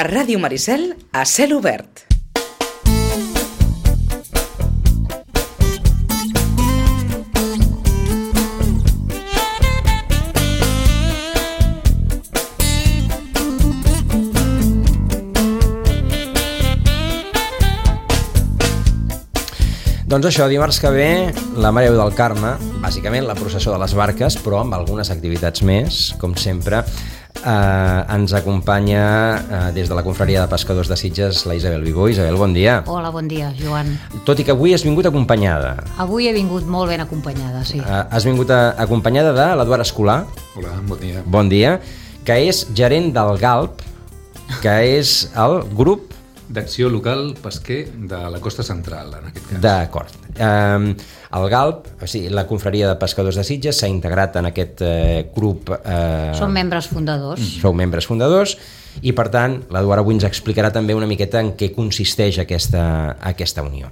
A Ràdio Maricel, a cel obert. Doncs això, dimarts que ve, la Mare del Carme, bàsicament la processó de les barques, però amb algunes activitats més, com sempre. Ens acompanya des de la confraria de pescadors de Sitges la Isabel Vigó. Isabel, bon dia. Hola, bon dia, Joan. Tot i que avui has vingut acompanyada. Avui he vingut molt ben acompanyada, sí. Has vingut acompanyada de l'Eduard Escolà. Hola, bon dia. Bon dia, que és gerent del GALP, que és el grup d'acció local pesquer de la costa central, en aquest cas. D'acord. El GALP, o sigui, la confraria de pescadors de Sitges, s'ha integrat en aquest grup. Som membres fundadors. Sou membres fundadors i, per tant, l'Eduard avui ens explicarà també una miqueta en què consisteix aquesta unió.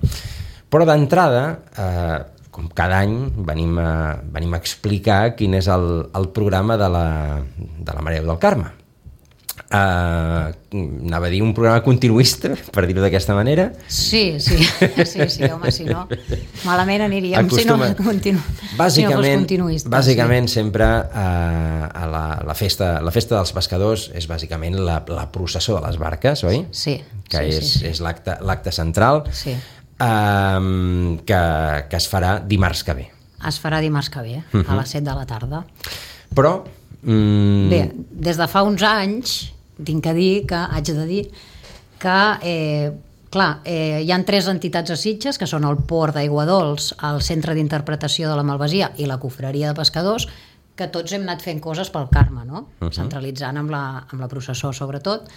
Però d'entrada, com cada any, venim a explicar quin és el programa de la Mare del Carme. Anava a dir un programa continuista, per dir-ho d'aquesta manera. Sí, home, si no malament aniríem si no fos continuista. Bàsicament sempre la festa dels pescadors és bàsicament la processó de les barques, oi? Sí. Que és l'acte central, sí. Que es farà dimarts que ve. Es farà dimarts que ve, a les 7 de la tarda. Però bé, des de fa uns anys haig de dir que hi ha 3 entitats a Sitges, que són el Port d'Aiguadols, el Centre d'Interpretació de la Malvasia i la Confraria de Pescadors, que tots hem anat fent coses pel Carme, no? Centralitzant amb la processó, sobretot.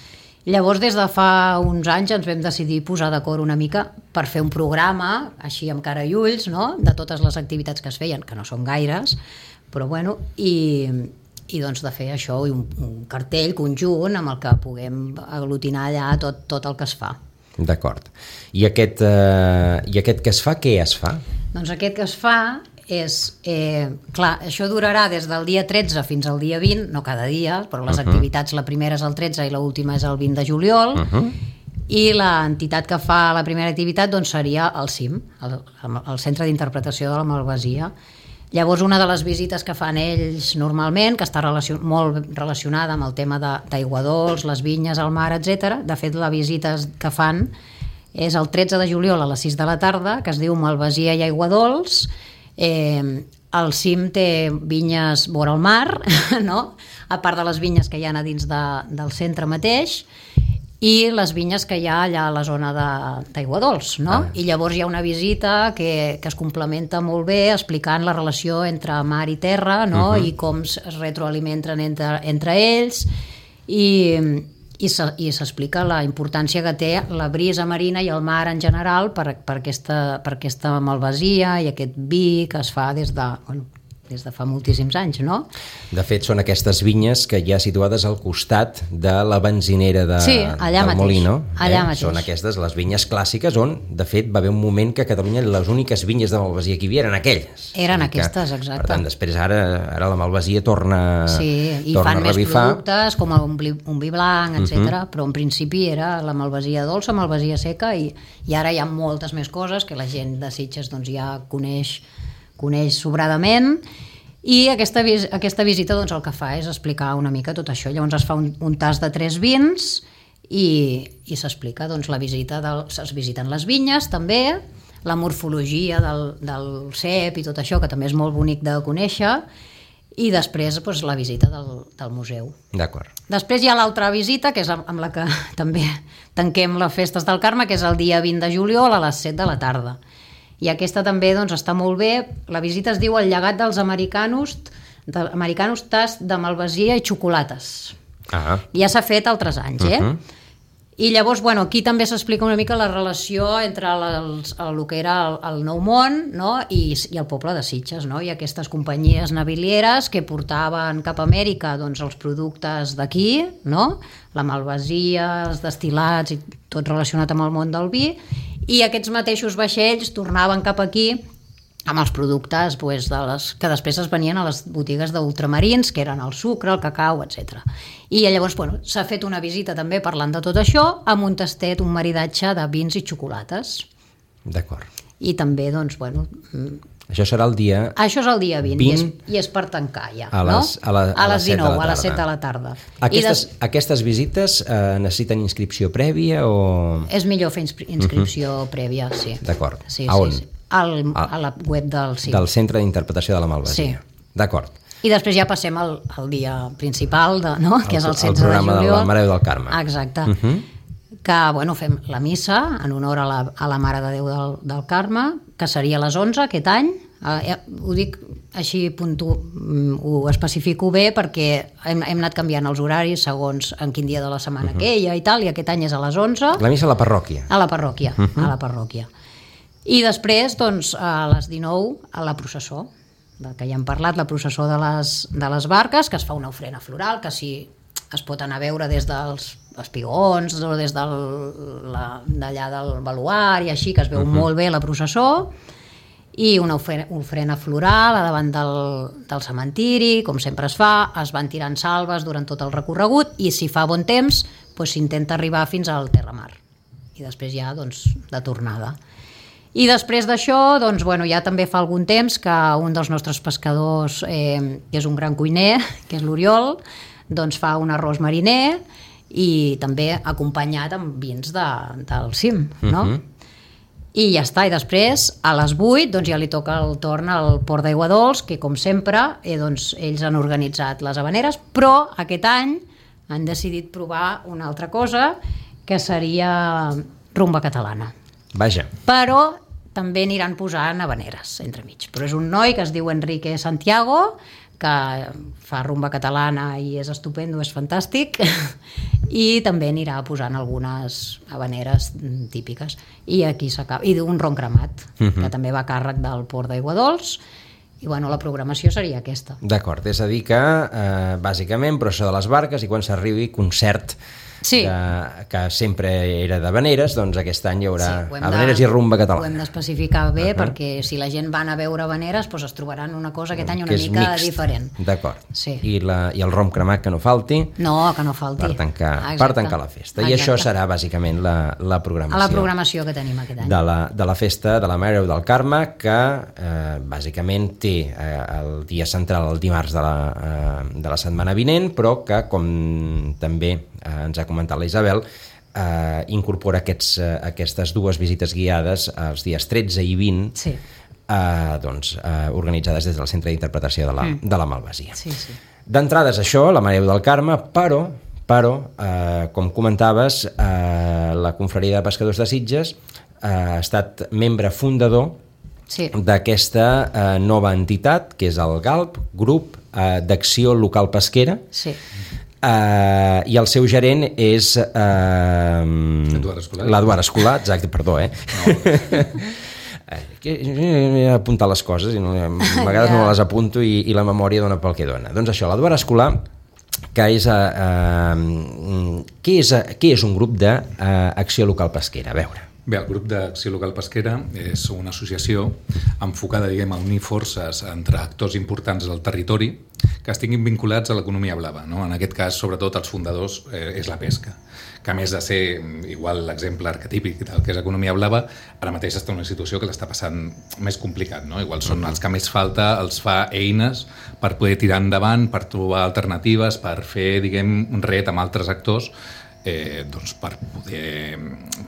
Llavors, des de fa uns anys ens vam decidir posar d'acord una mica per fer un programa, així amb cara i ulls, no? De totes les activitats que es feien, que no són gaires, però bueno, i doncs de fer això, un cartell conjunt amb el que puguem aglutinar allà tot el que es fa. D'acord. I aquest que es fa, què es fa? Doncs aquest que es fa és... clar, això durarà des del dia 13 fins al dia 20, no cada dia, però les activitats, la primera és el 13 i l'última és el 20 de juliol, i l'entitat que fa la primera activitat doncs seria el CIM, el Centre d'Interpretació de la Malvasia. Llavors, una de les visites que fan ells normalment, que està molt relacionada amb el tema d'aiguadols, les vinyes, el mar, etc. De fet, la visita que fan és el 13 de juliol a les 6 de la tarda, que es diu Malvasia i Aiguadols. El CIM té vinyes vora el mar, no? A part de les vinyes que hi ha a dins del centre mateix, i les vinyes que hi ha allà a la zona d'Aiguadols, no? I llavors hi ha una visita que es complementa molt bé explicant la relació entre mar i terra, no? I com es retroalimenten entre ells i s'explica la importància que té la brisa marina i el mar en general per aquesta malvasia i aquest vi que es fa des de fa moltíssims anys, no? De fet, són aquestes vinyes que hi ha situades al costat de la benzinera del Molino. Allà mateix. Són aquestes, les vinyes clàssiques, on, de fet, va haver un moment que a Catalunya les úniques vinyes de malvasia que hi havia eren aquelles. Eren aquestes, exacte. Per tant, després ara la malvasia torna a revifar. Sí, i fan més productes, com un vi blanc, etc. Però en principi era la malvasia dolça, malvasia seca, i ara hi ha moltes més coses que la gent de Sitges doncs, ja coneix sobradament, i aquesta visita doncs, el que fa és explicar una mica tot això. Llavors es fa un tast de 3 vins i s'explica doncs, la visita, es visiten les vinyes també, la morfologia del cep i tot això, que també és molt bonic de conèixer, i després doncs, la visita del museu. D'acord. Després hi ha l'altra visita, que és amb la que també tanquem les festes del Carme, que és el dia 20 de juliol a les 7 de la tarda. I aquesta també doncs, està molt bé. La visita es diu El llegat dels americanos tast de malvasia i xocolates. Ja s'ha fet altres anys, I llavors, aquí també s'explica una mica la relació entre el que era el Nou Món, no? i el poble de Sitges, no? I aquestes companyies navilieres que portaven cap a Amèrica doncs, els productes d'aquí, no? La malvasia, els destil·lats i tot relacionat amb el món del vi, i aquests mateixos vaixells tornaven cap aquí amb els productes pues, que després es venien a les botigues d'ultramarins, que eren el sucre, el cacau, etc. I llavors s'ha fet una visita també parlant de tot això, amb un tastet, un maridatge de vins i xocolates. D'acord. I també, això serà el dia... Això és el dia 20 i és per tancar ja, a les 19, a les 7 de la tarda. Aquestes visites necessiten inscripció prèvia o...? És millor fer inscripció prèvia, sí. D'acord. Sí, a on? Sí. A la web del CIM. Del Centre d'Interpretació de la Malvasia. Sí. D'acord. I després ja passem al dia principal, que és el 16 de juliol. El programa de la Mare de Déu del Carme. Exacte. Que fem la missa en honor a la Mare de Déu del Carme, que seria a les 11 aquest any. Ho dic així, ho especifico bé perquè hem anat canviant els horaris segons en quin dia de la setmana que hi ha i tal, i aquest any és a les 11. La missa a la parròquia. A la parròquia, a la parròquia. I després, a les 19, a la processó, del que ja hem parlat, la processó de les barques, que es fa una ofrena floral, que si es pot anar a veure des dels espigons o des d'allà del baluart i així, que es veu molt bé la processó, i una ofrena floral a davant del cementiri, com sempre es fa, es van tirant salves durant tot el recorregut i si fa bon temps s'intenta arribar fins al Terramar i després ja de tornada. I després d'això ja també fa algun temps que un dels nostres pescadors, que és un gran cuiner, que és l'Oriol, fa un arròs mariner i també acompanyat amb vins del CIM, no? I ja està, i després a les 8 ja li toca el torn al Port d'Aigua Dols, que com sempre ells han organitzat les habaneres, però aquest any han decidit provar una altra cosa, que seria rumba catalana. Vaja. Però també aniran posant habaneres entremig. Però és un noi que es diu Enrique Santiago, que fa rumba catalana i és estupendo, és fantàstic, i també anirà posant algunes habaneres típiques. I aquí s'acaba. I un ron cremat, que també va a càrrec del Port d'Aigua Dols, i la programació seria aquesta. D'acord, és a dir que bàsicament processó de les barques i quan s'arribi concert que sempre era d'habaneres, doncs aquest any hi haurà habaneres i rumba catalana. Ho hem d'especificar bé perquè si la gent va a veure habaneres es trobaran una cosa aquest any una mica diferent. D'acord. I el rom cremat que no falti. No, que no falti. Per tancar la festa. I això serà bàsicament la programació. La programació que tenim aquest any. De la festa de la Mare de Déu del Carme, que bàsicament té el dia central el dimarts de la setmana vinent, però que com també ens ha comentat la Isabel, incorpora aquestes dues visites guiades els dies 13 i 20 organitzades des del Centre d'Interpretació de la Malvasia. D'entrada és això, la Mare de Déu del Carme, però com comentaves, la Confraria de Pescadors de Sitges ha estat membre fundador d'aquesta nova entitat, que és el GALP, Grup d'Acció Local Pesquera, i el seu gerent és l'Eduard Escolar, exacte, perdó, he apuntat les coses i a vegades no les apunto i la memòria dona pel que dona. Doncs això, l'Eduard Escolar, que és què és un grup d'acció local pesquera? A veure. Bé, el grup d'Acció Local Pesquera és una associació enfocada, a unir forces entre actors importants del territori que estiguin vinculats a l'economia blava, no? En aquest cas, sobretot, els fundadors és la pesca, que a més de ser igual l'exemple arquetípic del que és economia blava, ara mateix està en una situació que l'està passant més complicat, no? Igual són els que més falta, els fa eines per poder tirar endavant, per trobar alternatives, per fer, un ret amb altres actors, per poder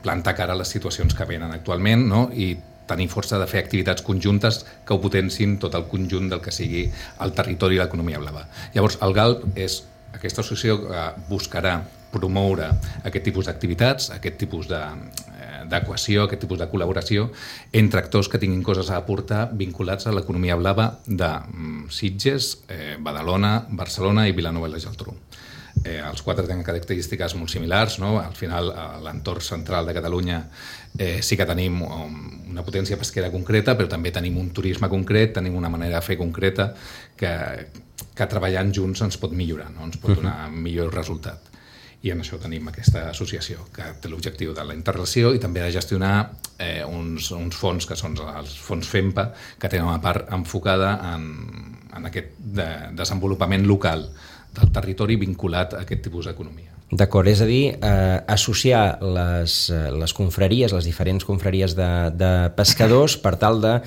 plantar cara a les situacions que venen actualment, no? I tenir força de fer activitats conjuntes que ho potencin tot el conjunt del que sigui el territori i l'economia blava. Llavors, el GALP és aquesta associació que buscarà promoure aquest tipus d'activitats, aquest tipus d'equació, aquest tipus de col·laboració entre actors que tinguin coses a aportar vinculats a l'economia blava de Sitges, Badalona, Barcelona i Vilanova i la Geltrú. Els quatre tenen característiques molt similars, no? Al final, a l'entorn central de Catalunya sí que tenim una potència pesquera concreta, però també tenim un turisme concret, tenim una manera de fer concreta que treballant junts ens pot millorar, no? Ens pot donar millor resultat. I en això tenim aquesta associació que té l'objectiu de la interrelació i també de gestionar uns fons que són els fons FEMPA, que tenen una part enfocada en aquest desenvolupament local del territori vinculat a aquest tipus d'economia. D'acord, és a dir, associar les confraries, les diferents confraries de pescadors per tal de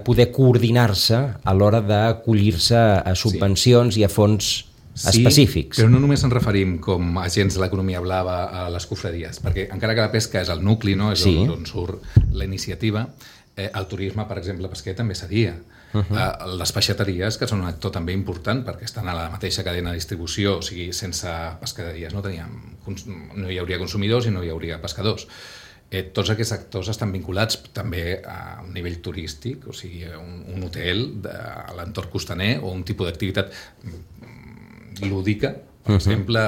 poder coordinar-se a l'hora d'acollir-se a subvencions i a fons específics. Sí, però no només ens referim com agents de l'economia blava a les confraries, perquè encara que la pesca és el nucli, no? És on surt la iniciativa, el turisme, per exemple, pesquer també seria. Les peixateries, que són un actor també important perquè estan a la mateixa cadena de distribució, o sigui, sense pescaderies no hi hauria consumidors i no hi hauria pescadors. Tots aquests actors estan vinculats també a un nivell turístic, o sigui, un hotel a l'entorn costaner o un tipus d'activitat lúdica, per exemple,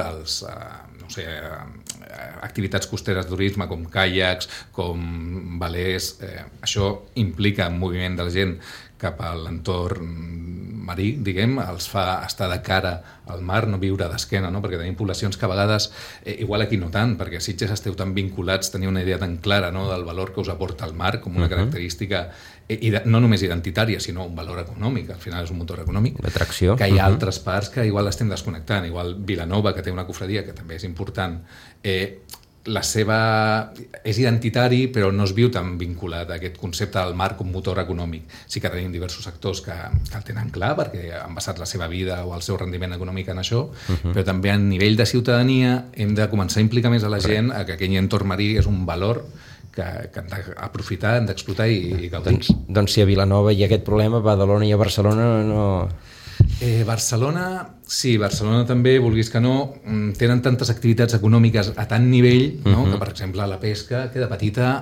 activitats costeres de turisme com caiacs, com velers. Això implica un moviment de la gent cap a l'entorn marí, diguem, els fa estar de cara al mar, no viure d'esquena, no? Perquè tenim poblacions que a vegades, igual aquí no tant, perquè a Sitges esteu tan vinculats, teniu una idea tan clara, no?, del valor que us aporta el mar com una característica no només identitària, sinó un valor econòmic, al final és un motor econòmic, l'atracció, que hi ha altres parts que igual estem desconnectant, igual Vilanova, que té una cofradia que també és important, la seva és identitari però no es viu tan vinculat a aquest concepte del mar com motor econòmic. Sí que tenim diversos sectors que el tenen clar perquè han basat la seva vida o el seu rendiment econòmic en això, però també a nivell de ciutadania hem de començar a implicar més a la gent a que aquell entorn marí és un valor que hem d'aprofitar, hem d'explotar i gaudir. Doncs si a Vilanova hi ha aquest problema, a Badalona i a Barcelona no... Barcelona, sí, Barcelona també, vulguis que no, tenen tantes activitats econòmiques a tant nivell, no? Que per exemple la pesca queda petita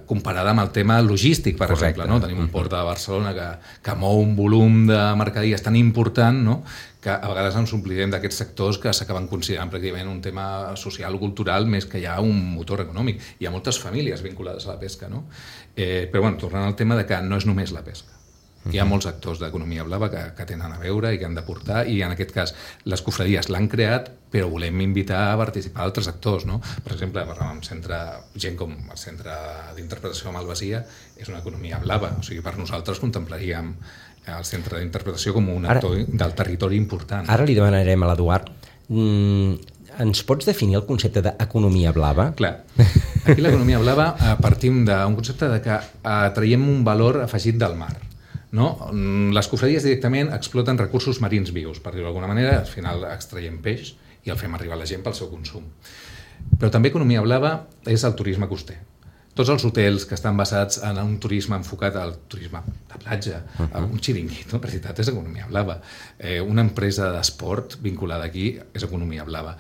comparada amb el tema logístic, per exemple, no? Tenim un port de Barcelona que mou un volum de mercaderies tan important, no?, que a vegades ens oblidem d'aquests sectors que s'acaben considerant pràcticament un tema social o cultural més que ja un motor econòmic. Hi ha moltes famílies vinculades a la pesca, no? Però bueno, tornant al tema de que no és només la pesca. Hi ha molts actors d'economia blava que tenen a veure i que han de portar, i en aquest cas les cofradies l'han creat, però volem invitar a participar altres actors, no? Per exemple, gent com el Centre d'Interpretació de Malvasia és una economia blava, o sigui, per nosaltres contemplaríem el Centre d'Interpretació com un actor del territori important. Ara li demanarem a l'Eduard, ens pots definir el concepte d'economia blava? Clar, aquí l'economia blava partim d'un concepte de que traiem un valor afegit del mar. No? Les cofradies directament exploten recursos marins vius, per dir-ho d'alguna manera, al final extraiem peix i el fem arribar a la gent pel seu consum. Però també economia blava és el turisme coster. Tots els hotels que estan basats en un turisme enfocat al turisme de platja, un xiringuito, en realitat és economia blava. Una empresa d'esport vinculada aquí és economia blava.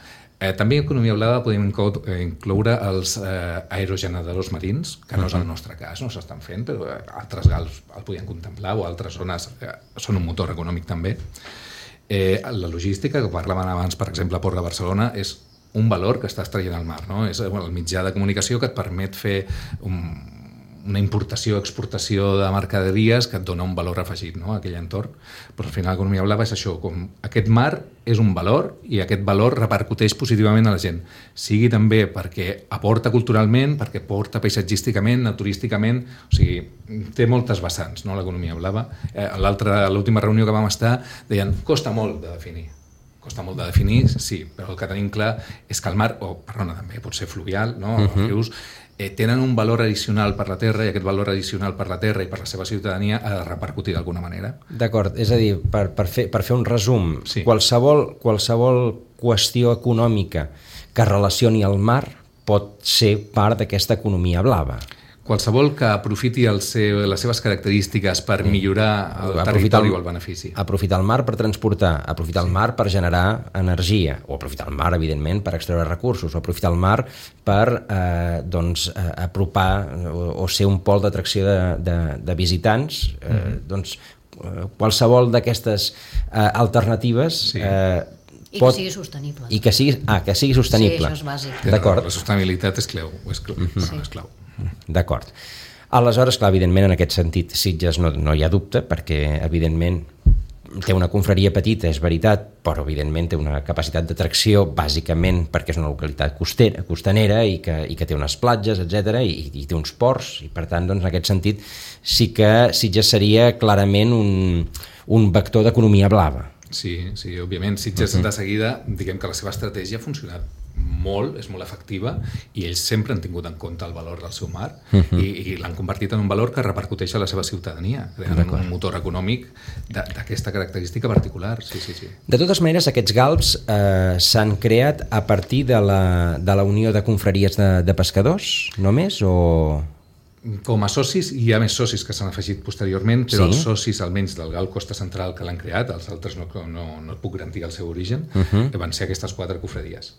També en economia blava podem incloure els aerogeneradors marins, que no és el nostre cas, no s'estan fent, però altres gals el podien contemplar, o altres zones són un motor econòmic també. La logística, que parlàvem abans, per exemple, a Port de Barcelona, és un valor que estàs traient al mar, no? És el mitjà de comunicació que et permet fer una importació, exportació de mercaderies que et dona un valor afegit, no?, a aquell entorn. Però al final l'economia blava és això, com aquest mar és un valor i aquest valor repercuteix positivament a la gent, sigui també perquè aporta culturalment, perquè aporta paisatgísticament, turísticament, o sigui, té moltes vessants, no?, l'economia blava. A l'última reunió que vam estar deien, costa molt de definir. Costa molt de definir, sí, però el que tenim clar és que el mar, també pot ser fluvial, no?, els rius, tenen un valor addicional per la terra, i aquest valor addicional per la terra i per la seva ciutadania ha de repercutir d'alguna manera. D'acord, és a dir, per fer un resum, sí. qualsevol qüestió econòmica que relacioni el mar pot ser part d'aquesta economia blava. Qualsevol que aprofiti les seves característiques per millorar el territori o el benefici. Aprofitar el mar per transportar, aprofitar el mar per generar energia, o aprofitar el mar, evidentment, per extreure recursos, o aprofitar el mar per apropar o ser un pol d'atracció de visitants. Qualsevol d'aquestes alternatives... Sí. I que sigui sostenible. I que sigui sostenible. Sí, això és bàsic. D'acord. La sostenibilitat és clau. És clau. D'acord. Aleshores, clar, evidentment, en aquest sentit, Sitges no hi ha dubte, perquè, evidentment, té una confraria petita, és veritat, però evidentment té una capacitat d'atracció bàsicament perquè és una localitat costanera i que té unes platges, etc i té uns ports, i per tant, doncs, en aquest sentit sí que Sitges seria clarament un vector d'economia blava. Sí, òbviament Sitges de seguida, diguem que la seva estratègia ha funcionat molt, és molt efectiva, i ells sempre han tingut en compte el valor del seu mar i l'han convertit en un valor que repercuteix a la seva ciutadania, creant un motor econòmic d'aquesta característica particular. Sí. De totes maneres, aquests galps s'han creat a partir de la Unió de Confraries de Pescadors, només, o...? Com a socis, hi ha més socis que s'han afegit posteriorment, però els socis, almenys del GAL Costa Central, que l'han creat, els altres no et puc garantir el seu origen, van ser aquestes 4 cofradies.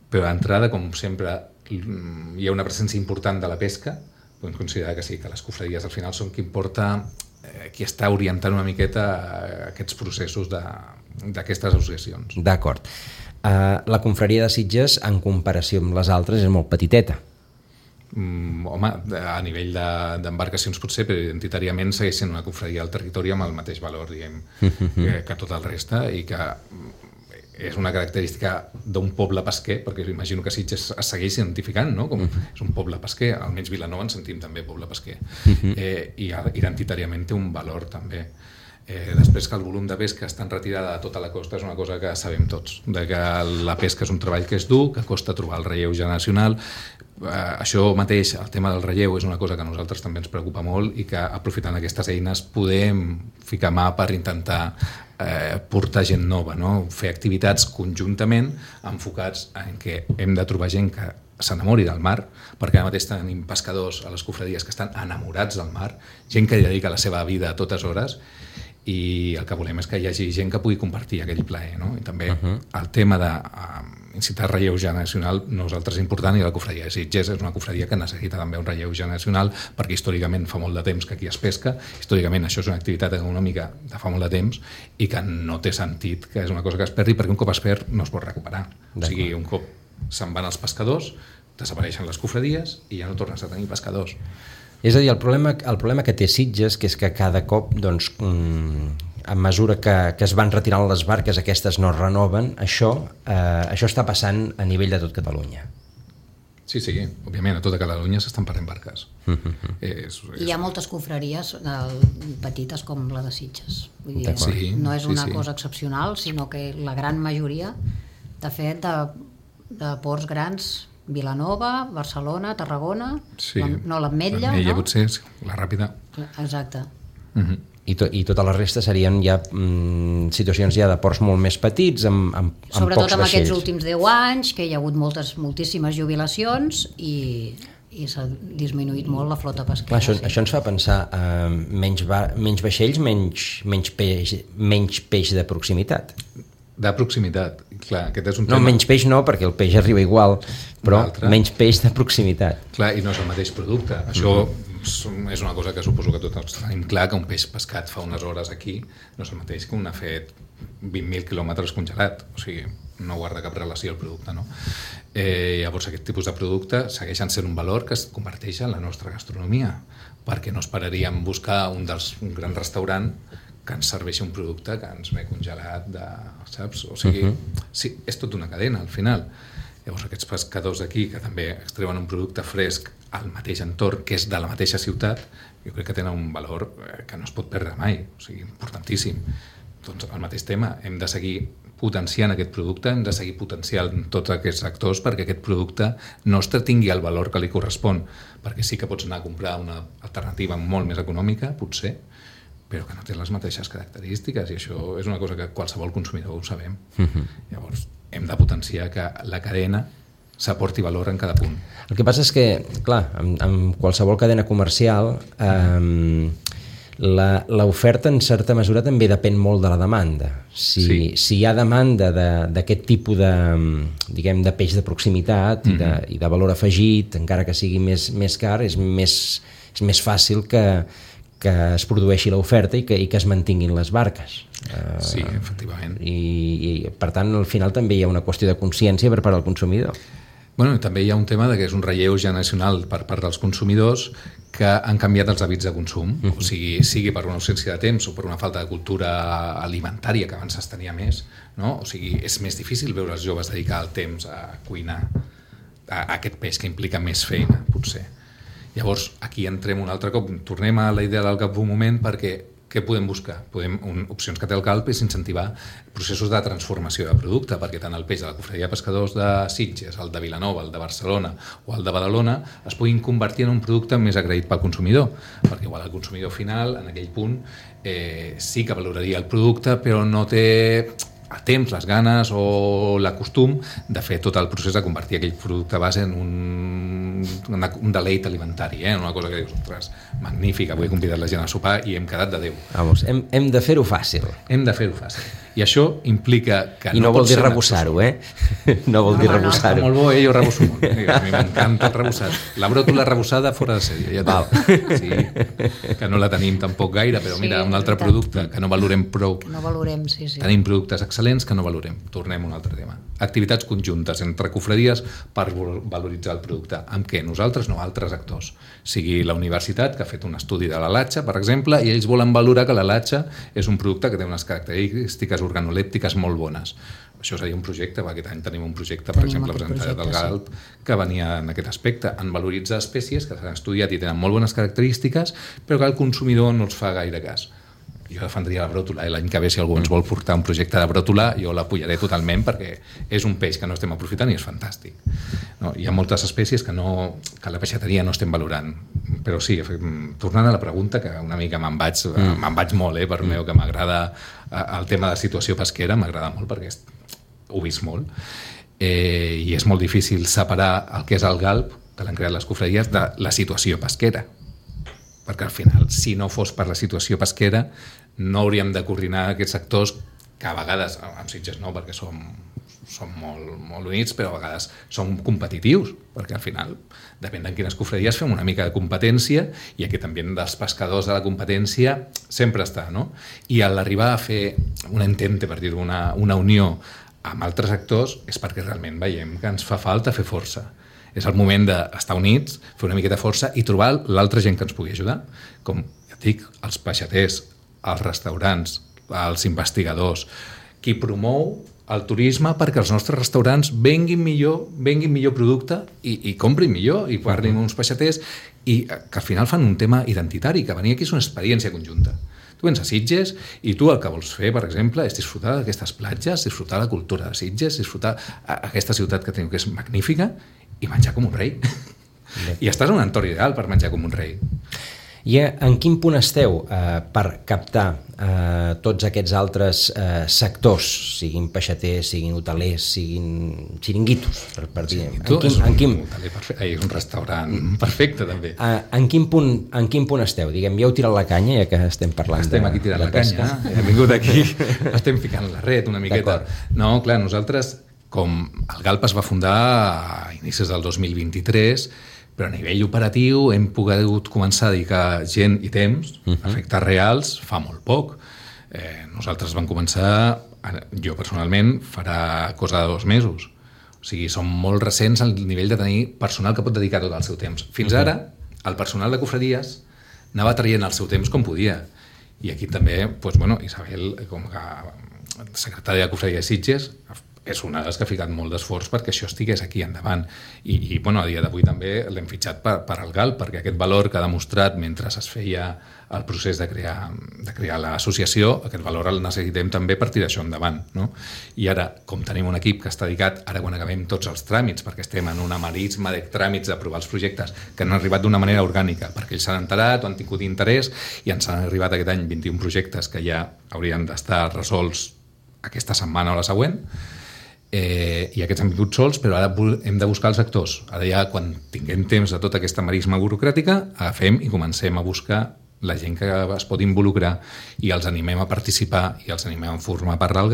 Però d'entrada, com sempre, hi ha una presència important de la pesca, podem considerar que sí, que les cofradies al final són qui està orientant una miqueta aquests processos d'aquestes associacions. D'acord. La confraria de Sitges, en comparació amb les altres, és molt petiteta. Home, a nivell d'embarcacions potser, però identitàriament segueix sent una confraria al territori amb el mateix valor, diguem, que tot el reste, i que és una característica d'un poble pesquer, perquè imagino que Sitges es segueix identificant, no? Com és un poble pesquer, almenys Vilanova en sentim també poble pesquer, i identitàriament té un valor també. Després que el volum de pesca està en retirada de tota la costa és una cosa que sabem tots, de que la pesca és un treball que és dur, que costa trobar el relleu generacional. Això mateix, el tema del relleu, és una cosa que a nosaltres també ens preocupa molt i que aprofitant aquestes eines podem ficar mà per intentar portar gent nova, no? Fer activitats conjuntament enfocats en què hem de trobar gent que s'enamori del mar, perquè ara mateix tenim pescadors a les cofradies que estan enamorats del mar, gent que dedica la seva vida a totes hores, i el que volem és que hi hagi gent que pugui compartir aquell plaer, no? I també el tema d'incitar relleu generacional nosaltres és important, i la cofradia de Sitges és una cofradia que necessita també un relleu generacional, perquè històricament fa molt de temps que aquí es pesca, històricament això és una activitat econòmica de fa molt de temps i que no té sentit que és una cosa que es perdi, perquè un cop es perd no es pot recuperar. O sigui, un cop se'n van els pescadors, desapareixen les cofradies i ja no tornes a tenir pescadors. És a dir, el problema que té Sitges, que és que cada cop, doncs, a mesura que es van retirant les barques, aquestes no es renoven, això està passant a nivell de tot Catalunya. Sí, òbviament, a tota Catalunya s'estan perdent barques. Hi ha moltes confraries petites com la de Sitges. Vull dir, no és una cosa excepcional, sinó que la gran majoria, de fet, de ports grans, Vilanova, Barcelona, Tarragona, l'Ametlla, no? Potser, la Ràpida. Exacte. I tota la resta serien ja situacions ja de ports molt més petits, amb pocs vaixells. Sobretot amb aquests últims 10 anys, que hi ha hagut moltíssimes jubilacions i s'ha disminuït molt la flota pesquera. Clar, això ens fa pensar menys vaixells, menys peix de proximitat. De proximitat, clar, aquest és un tema... No, menys peix no, perquè el peix arriba igual, però menys peix de proximitat. Clar, i no és el mateix producte. Això és una cosa que suposo que tots tenim clar, que un peix pescat fa unes hores aquí no és el mateix que un ha fet 20.000 quilòmetres congelat. O sigui, no guarda cap relació el producte, no? Llavors, aquest tipus de producte segueixen sent un valor que es converteix en la nostra gastronomia, perquè no esperaríem buscar un gran restaurant que ens serveixi un producte que ens ve congelat, saps? O sigui, sí, és tota una cadena, al final. Llavors, aquests pescadors d'aquí, que també extreuen un producte fresc al mateix entorn, que és de la mateixa ciutat, jo crec que tenen un valor que no es pot perdre mai, o sigui, importantíssim. Doncs, el mateix tema, hem de seguir potenciant aquest producte, hem de seguir potenciant tots aquests actors perquè aquest producte nostre tingui el valor que li correspon, perquè sí que pots anar a comprar una alternativa molt més econòmica, potser, però que no té les mateixes característiques, i això és una cosa que qualsevol consumidor ho sabem. Llavors, hem de potenciar que la cadena s'aporti valor en cada punt. El que passa és que, clar, en qualsevol cadena comercial l'oferta en certa mesura també depèn molt de la demanda. Si hi ha demanda d'aquest tipus de peix de proximitat i de valor afegit, encara que sigui més car, és més fàcil que es produeixi l'oferta i que es mantinguin les barques. Sí, efectivament. I per tant, al final també hi ha una qüestió de consciència per part del consumidor. Bueno, també hi ha un tema de que és un relleu generacional per part dels consumidors que han canviat els hàbits de consum, o sigui per una ausència de temps o per una falta de cultura alimentària que abans es tenia més, no? O sigui, és més difícil veure els joves dedicar el temps a cuinar a aquest peix que implica més feina, potser. Llavors, aquí entrem un altre cop, tornem a la idea del GALP un moment, perquè què podem buscar? Opcions que té el GALP és incentivar processos de transformació de producte, perquè tant el peix de la Cofradia de Pescadors de Sitges, el de Vilanova, el de Barcelona o el de Badalona es puguin convertir en un producte més agraït pel consumidor, perquè igual el consumidor final, en aquell punt, sí que valoraria el producte, però no té el temps, les ganes o l'acostum de fer tot el procés de convertir aquell producte base en un deleit alimentari, una cosa que dius, ostres, magnífica, avui he convidat la gent a sopar i hem quedat de Déu. Vamos, hem de fer-ho fàcil. Hem de fer-ho fàcil. I això implica que I no vol dir rebussar-ho, No vol dir rebussar-ho. Molt bo, jo rebusso molt. A mi m'encanta el rebussat. La bròtola rebussada fora de sèrie, ja sí, que no la tenim tampoc gaire, però mira, un altre producte que no valorem prou. Que no valorem, sí. Tenim productes excel·lents que no valorem. Tornem a un altre tema. Activitats conjuntes entre cofradies per valoritzar el producte. Amb què? Nosaltres, no, altres actors. Sigui la universitat, que ha fet un estudi de la latxa, per exemple, i ells volen valorar que la latxa és un producte que té unes característiques organolèptiques molt bones. Això seria un projecte, aquest any tenim un projecte, per exemple, presentat del GALP, que venia en aquest aspecte, en valoritzar espècies que s'han estudiat i tenen molt bones característiques, però que el consumidor no els fa gaire cas. Jo defendria la bròtola, l'any que ve si algú ens vol portar un projecte de bròtola jo l'apoyaré totalment perquè és un peix que no estem aprofitant i és fantàstic. No, hi ha moltes espècies que a la peixateria no estem valorant, però sí, tornant a la pregunta, que una mica me'n vaig molt, per meu, que m'agrada el tema de situació pesquera, m'agrada molt perquè ho he vist molt, i és molt difícil separar el que és el GALP, que l'han creat les cofradies, de la situació pesquera, perquè al final, si no fos per la situació pesquera, no hauríem de coordinar aquests sectors que a vegades, amb Sitges no, perquè som molt units, però a vegades som competitius, perquè al final, depèn de quines cofradies, fem una mica de competència i aquest ambient dels pescadors de la competència sempre està, no? I a l'arribar a fer un entente, per dir-ho, una unió amb altres actors, és perquè realment veiem que ens fa falta fer força. És el moment d'estar units, fer una miqueta de força i trobar l'altra gent que ens pugui ajudar. Com ja et dic, els peixaters, els restaurants, els investigadors, qui promou el turisme perquè els nostres restaurants venguin millor producte i comprin millor i parlin uns peixaters i que al final fan un tema identitari, que venir aquí és una experiència conjunta. Tu vens a Sitges i tu el que vols fer, per exemple, és disfrutar d'aquestes platges, disfrutar la cultura de Sitges, disfrutar aquesta ciutat que tenim que és magnífica i menjar com un rei. I estàs en un entorn ideal per menjar com un rei. I en quin punt esteu per captar tots aquests altres sectors, siguin peixaters, siguin hotelers, siguin xiringuitos, per dir? És un restaurant perfecte, també. En quin punt esteu? Diguem, ja heu tirat la canya, ja que estem parlant estem aquí tirant la canya, hem vingut aquí, estem ficant la ret una miqueta. No, clar, nosaltres, com el GALP es va fundar a inicis del 2023, però a nivell operatiu hem pogut començar a dedicar gent i temps a efectes reals fa molt poc. Nosaltres vam començar, jo personalment, farà cosa de 2 mesos. O sigui, som molt recents al nivell de tenir personal que pot dedicar tot el seu temps. Fins ara, el personal de cofradies anava traient el seu temps com podia. I aquí també, Isabel, com a secretària de Cofradia de Sitges, és una de les que ha ficat molt d'esforç perquè això estigués aquí endavant. I a dia d'avui també l'hem fitxat per al GALP, perquè aquest valor que ha demostrat mentre es feia el procés de crear l'associació, aquest valor el necessitem també per tirar això endavant. No? I ara, com tenim un equip que està dedicat, ara quan acabem tots els tràmits, perquè estem en una marisma de tràmits d'aprovar els projectes que han arribat d'una manera orgànica, perquè ells s'han enterat o han tingut interès i ens han arribat aquest any 21 projectes que ja haurien d'estar resolts aquesta setmana o la següent, i aquests han vingut sols, però ara hem de buscar els actors. Ara ja, quan tinguem temps de tota aquesta marisma burocràtica, agafem i comencem a buscar la gent que es pot involucrar i els animem a participar i els animem a formar part del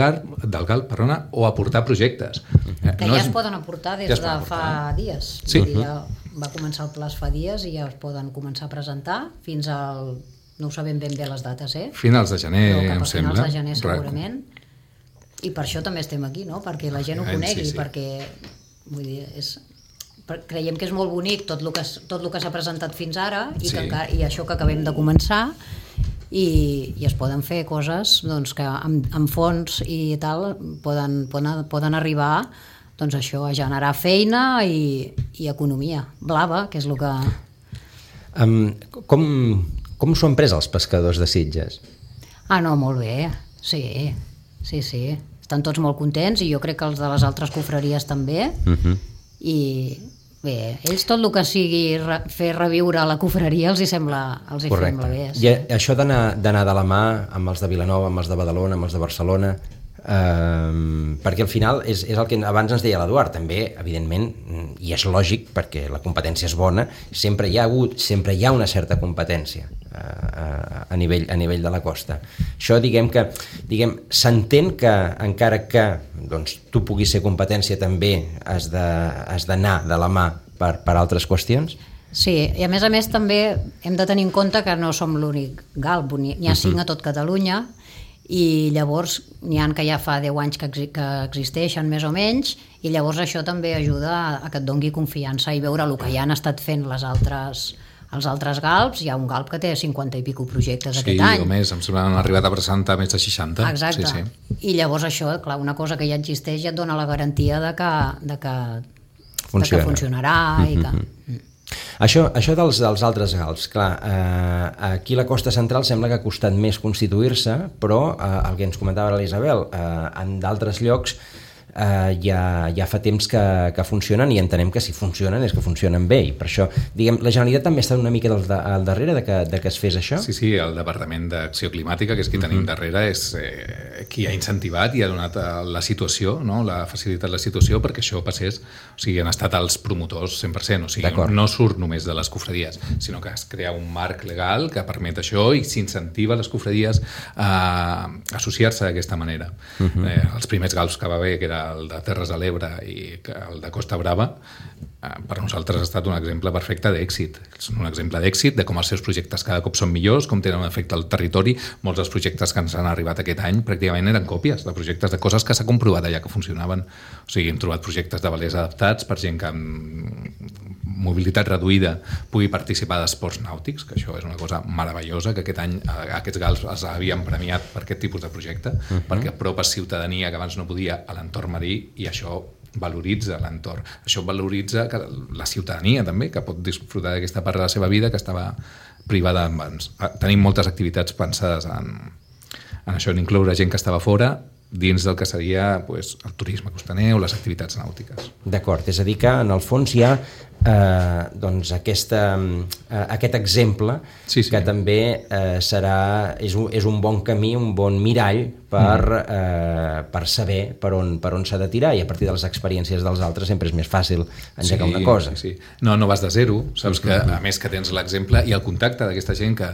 GALP, o a aportar projectes. Que ja es poden aportar des de fa dies. Sí. Ja va començar el pla fa dies i ja es poden començar a presentar fins al... No ho sabem ben bé les dates, Finals de gener, em sembla. Finals de gener, segurament. I per això també estem aquí, no? Perquè la gent ho conegui, perquè vull dir, creiem que és molt bonic tot el que s'ha presentat fins ara i això que acabem de començar, i es poden fer coses doncs, que amb fons i tal poden arribar doncs això, a generar feina i economia blava, que és el que... Com s'ho han pres els pescadors de Sitges? No, molt bé, sí. Estan tots molt contents i jo crec que els de les altres confraries també. I bé, ells tot el que sigui fer reviure la confraria els hi sembla bé. Sí. I això d'anar de la mà amb els de Vilanova, amb els de Badalona, amb els de Barcelona, perquè al final és el que abans ens deia l'Eduard, també evidentment, i és lògic perquè la competència és bona, sempre hi ha una certa competència a nivell de la costa. Això s'entén que encara que doncs, tu puguis ser competència també has d'anar de la mà per altres qüestions? Sí, i a més també hem de tenir en compte que no som l'únic galp, n'hi ha 5 a tot Catalunya, i llavors n'hi ha que ja fa 10 anys que existeixen més o menys, i llavors això també ajuda a que et dongui confiança i veure el que ja han estat fent els altres galps. Hi ha un galp que té 50 i pico projectes aquest any. Sí, o més, em sembla que han arribat a presentar més de 60. Exacte, sí. I llavors això, clar, una cosa que ja existeix ja et dona la garantia de que funcionarà i que... Això dels altres galps, clar, aquí a la costa central sembla que ha costat més constituir-se, però el que ens comentava l'Isabel, en d'altres llocs ja fa temps que funcionen, i entenem que si funcionen és que funcionen bé, i per això la Generalitat també està una mica al darrere de que es fes això? Sí, el Departament d'Acció Climàtica, que és qui tenim darrere, és qui ha incentivat i ha donat la situació, no? La facilitat la situació perquè això passés, o sigui, han estat els promotors 100%, o sigui, no surt només de les cofradies, sinó que es crea un marc legal que permet això i s'incentiva les cofradies a associar-se d'aquesta manera. Els primers galps que va haver, que era el de Terres de l'Ebre i el de Costa Brava, per nosaltres ha estat un exemple perfecte d'èxit. És un exemple d'èxit de com els seus projectes cada cop són millors, com tenen un efecte al territori. Molts dels projectes que ens han arribat aquest any pràcticament eren còpies de projectes de coses que s'ha comprovat allà que funcionaven. O sigui, hem trobat projectes de velers adaptats per gent que amb mobilitat reduïda pugui participar d'esports nàutics, que això és una cosa meravellosa, que aquest any aquests galps els havien premiat per aquest tipus de projecte, perquè apropes ciutadania que abans no podia a l'entorn marí, i això valoritza l'entorn. Això valoritza la ciutadania també, que pot disfrutar d'aquesta part de la seva vida que estava privada abans. Tenim moltes activitats pensades en això, en incloure gent que estava fora dins del que seria el turisme costaner o les activitats nàutiques. D'acord, és a dir que en el fons hi ha aquest exemple que també és un bon camí, un bon mirall per saber per on s'ha de tirar, i a partir de les experiències dels altres sempre és més fàcil engegar una cosa. Sí. No vas de zero, saps que a més que tens l'exemple i el contacte d'aquesta gent que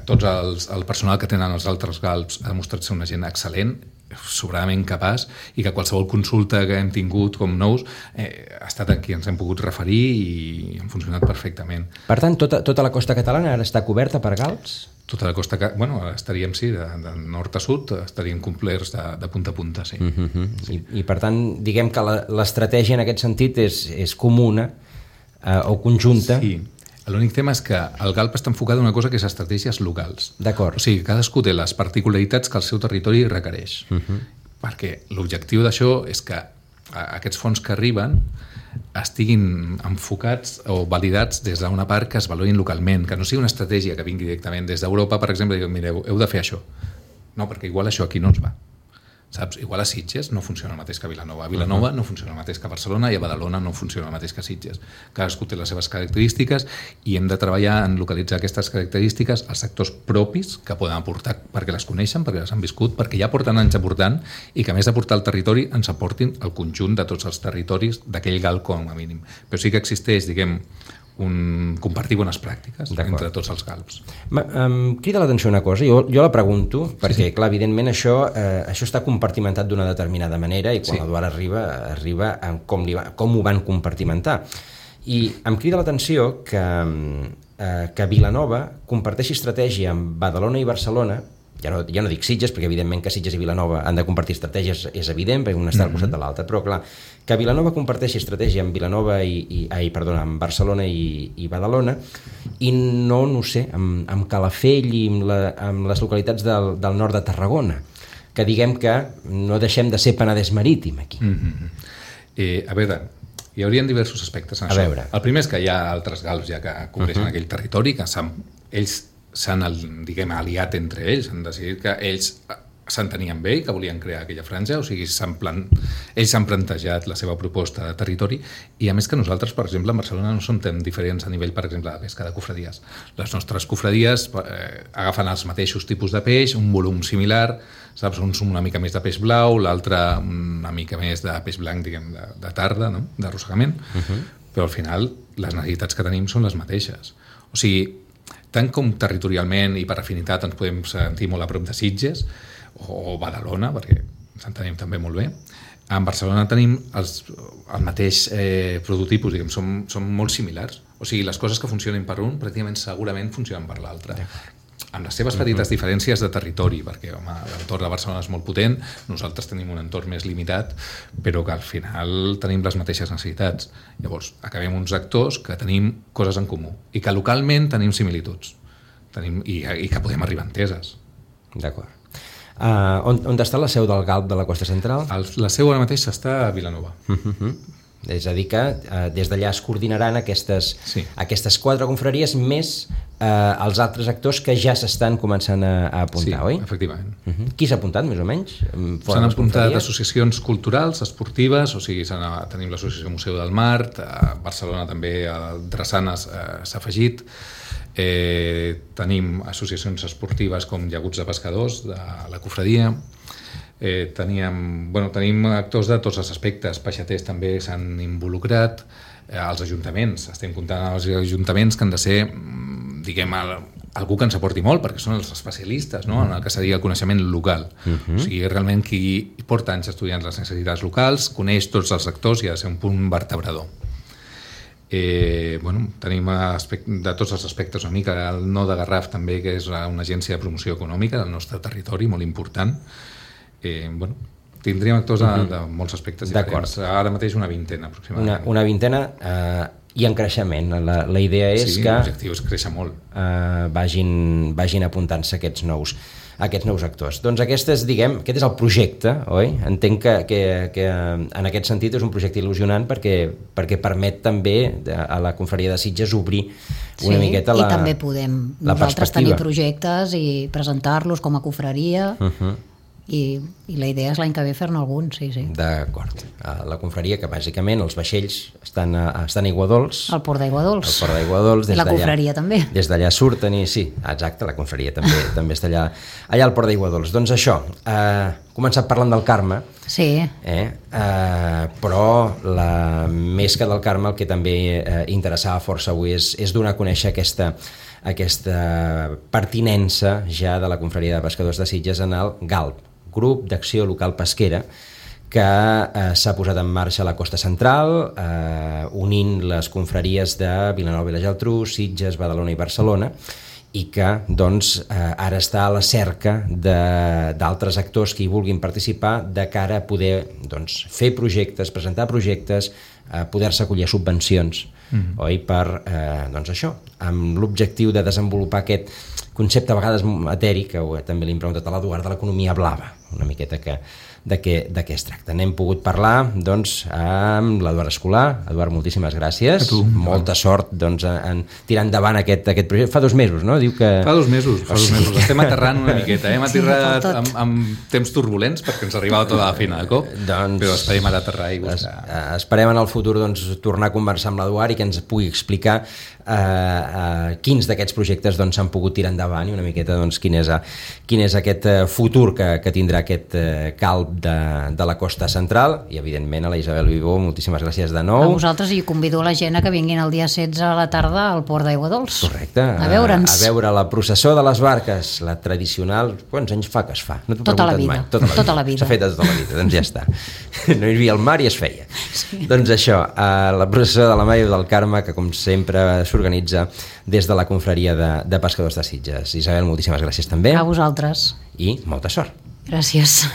tots el personal que tenen els altres galps ha demostrat ser una gent excel·lent, sobradament capaç, i que qualsevol consulta que hem tingut com nous ha estat a qui ens hem pogut referir i han funcionat perfectament. Per tant, tota la costa catalana ara està coberta per galps? Tota la costa, estaríem, de nord a sud, estaríem complerts de punta a punta, sí. I per tant, diguem que l'estratègia en aquest sentit és comuna o conjunta. Sí. L'únic tema és que el galp està enfocat en una cosa que és estratègies locals. D'acord. O sigui, cadascú té les particularitats que el seu territori requereix. Perquè l'objectiu d'això és que aquests fons que arriben estiguin enfocats o validats des d'una part que es valorin localment, que no sigui una estratègia que vingui directament des d'Europa, per exemple, i diguin, mireu, heu de fer això. No, perquè igual això aquí no ens va. Saps? Igual a Sitges no funciona el mateix que a Vilanova. A Vilanova no funciona el mateix que a Barcelona, i a Badalona no funciona el mateix que a Sitges. Cadascú té les seves característiques i hem de treballar en localitzar aquestes característiques als sectors propis que poden aportar, perquè les coneixen, perquè les han viscut, perquè ja porten anys aportant, i que a més d'aportar el territori ens aportin el conjunt de tots els territoris d'aquell galp com a mínim. Però sí que existeix, compartir bones pràctiques entre tots els galps. Crida l'atenció una cosa, jo la pregunto, perquè clar, evidentment això està compartimentat d'una determinada manera, i quan l'Eduard arriba com ho van compartimentar. I em crida l'atenció que Vilanova comparteixi estratègia amb Badalona i Barcelona, ja no dic Sitges, perquè evidentment que Sitges i Vilanova han de compartir estratègies, és evident, perquè un està al costat de l'altre, però clar, que Vilanova comparteixi estratègia amb Vilanova amb Barcelona i Badalona, i no sé, amb Calafell i amb les localitats del nord de Tarragona, que diguem que no deixem de ser Penedès Marítim aquí. A veure, hi haurien diversos aspectes en això. El primer és que hi ha altres galps ja que cobreixen aquell territori, que ells s'han, diguem, aliat entre ells, han decidit que ells s'entenien bé i que volien crear aquella franja, o sigui, ells s'han plantejat la seva proposta de territori, i a més que nosaltres, per exemple, a Barcelona no som tan diferents a nivell, per exemple, de pesca de cofradies. Les nostres cofradies agafen els mateixos tipus de peix, un volum similar, saps? Un una mica més de peix blau, l'altre una mica més de peix blanc, diguem, de tarda, no? D'arrossegament, però al final les necessitats que tenim són les mateixes. O sigui, tant com territorialment i per afinitat ens podem sentir molt a prop de Sitges o Badalona, perquè ens entenem també molt bé, en Barcelona tenim el mateix prototipus, diguem, som molt similars. O sigui, les coses que funcionen per un pràcticament segurament funcionen per l'altre. Amb les seves petites diferències de territori, perquè l'entorn de Barcelona és molt potent, nosaltres tenim un entorn més limitat, però que al final tenim les mateixes necessitats. Llavors, acabem uns actors que tenim coses en comú i que localment tenim similituds i que podem arribar a enteses. D'acord. On està la seu del GALP de la Costa Central? La seu ara mateix està a Vilanova. És a dir que des d'allà es coordinaran aquestes 4 confraries més els altres actors que ja s'estan començant a apuntar, oi? Sí, efectivament. Qui s'ha apuntat, més o menys? S'han apuntat associacions culturals, esportives, o sigui, tenim l'associació Museu del Mar, a Barcelona també el Drassanes s'ha afegit, tenim associacions esportives com Llaguts de Pescadors, de la cofradia, tenim actors de tots els aspectes, peixaters també s'han involucrat, els ajuntaments, estem comptant els ajuntaments que han de ser, diguem, algú que ens aporti molt, perquè són els especialistes, no?, en el que seria el coneixement local. O sigui, realment qui porta anys estudiant les necessitats locals, coneix tots els actors i ha de ser un punt vertebrador. Tenim de tots els aspectes una mica el No de Garraf també, que és una agència de promoció econòmica del nostre territori, molt important. Tindríem actors de molts aspectes diferents. Ara mateix una vintena aproximadament. Una vintena i en creixement. La idea és que l'objectiu és créixer molt. Vagin apuntant-se aquests nous actors. Doncs aquest és el projecte, oi? Entenc que en aquest sentit és un projecte il·lusionant perquè permet també a la confraria de Sitges obrir una miqueta la perspectiva. I també podem nosaltres tenir projectes i presentar-los com a confraria. I la idea és l'any que ve fer-ne algun, sí. D'acord. La confraria, que bàsicament els vaixells estan a Aiguadols. Al Port d'Aiguadols. Al Port d'Aiguadols. I la confraria també. Des d'allà surten sí, exacte, la confraria també està allà al Port d'Aiguadols. Doncs això, començat parlant del Carme, però més que del Carme el que també interessava força avui és donar a conèixer aquesta pertinença ja de la confraria de pescadors de Sitges en el GALP, Grup d'Acció Local Pesquera, que s'ha posat en marxa a la Costa Central, unint les confraries de Vilanova i la Geltrú, Sitges, Badalona i Barcelona, i que ara està a la cerca d'altres actors que hi vulguin participar de cara a poder fer projectes, presentar projectes, poder-se acollir subvencions, oi? Per això, amb l'objectiu de desenvolupar aquest concepte a vegades etèric, que també l'hem preguntat a l'Eduard, de l'economia blava, una miqueta de què es tracta. N'hem pogut parlar amb l'Eduard Escolà. Eduard, moltíssimes gràcies. Molta sort en tirar endavant aquest projecte. Fa 2 mesos, no? Diu que... Fa 2 mesos. Estem aterrant una miqueta. Hem aterrat amb temps turbulents perquè ens arribava tota la feina de cop, però esperem ara aterrar i buscar. Esperem en el futur tornar a conversar amb l'Eduard i que ens pugui explicar quins d'aquests projectes s'han pogut tirar endavant i una miqueta quin és aquest futur que tindrà aquest GALP de la Costa Central. I evidentment a la Isabel Vivó, moltíssimes gràcies de nou. A vosaltres, i convido la gent a que vinguin el dia 16 a la tarda al Port d'Aiguadols. Correcte. A veure'ns. A veure la processó de les barques, la tradicional. Quants anys fa que es fa? No t'ho he tota la preguntat vida. mai. Tota la vida. S'ha fet tota la vida, doncs ja està. No hi havia el mar i es feia. Doncs això, la processó de la Mare del Carme, que com sempre s'organitza des de la confraria de pescadors de Sitges. Isabel, moltíssimes gràcies també. A vosaltres. I molta sort. Gràcies.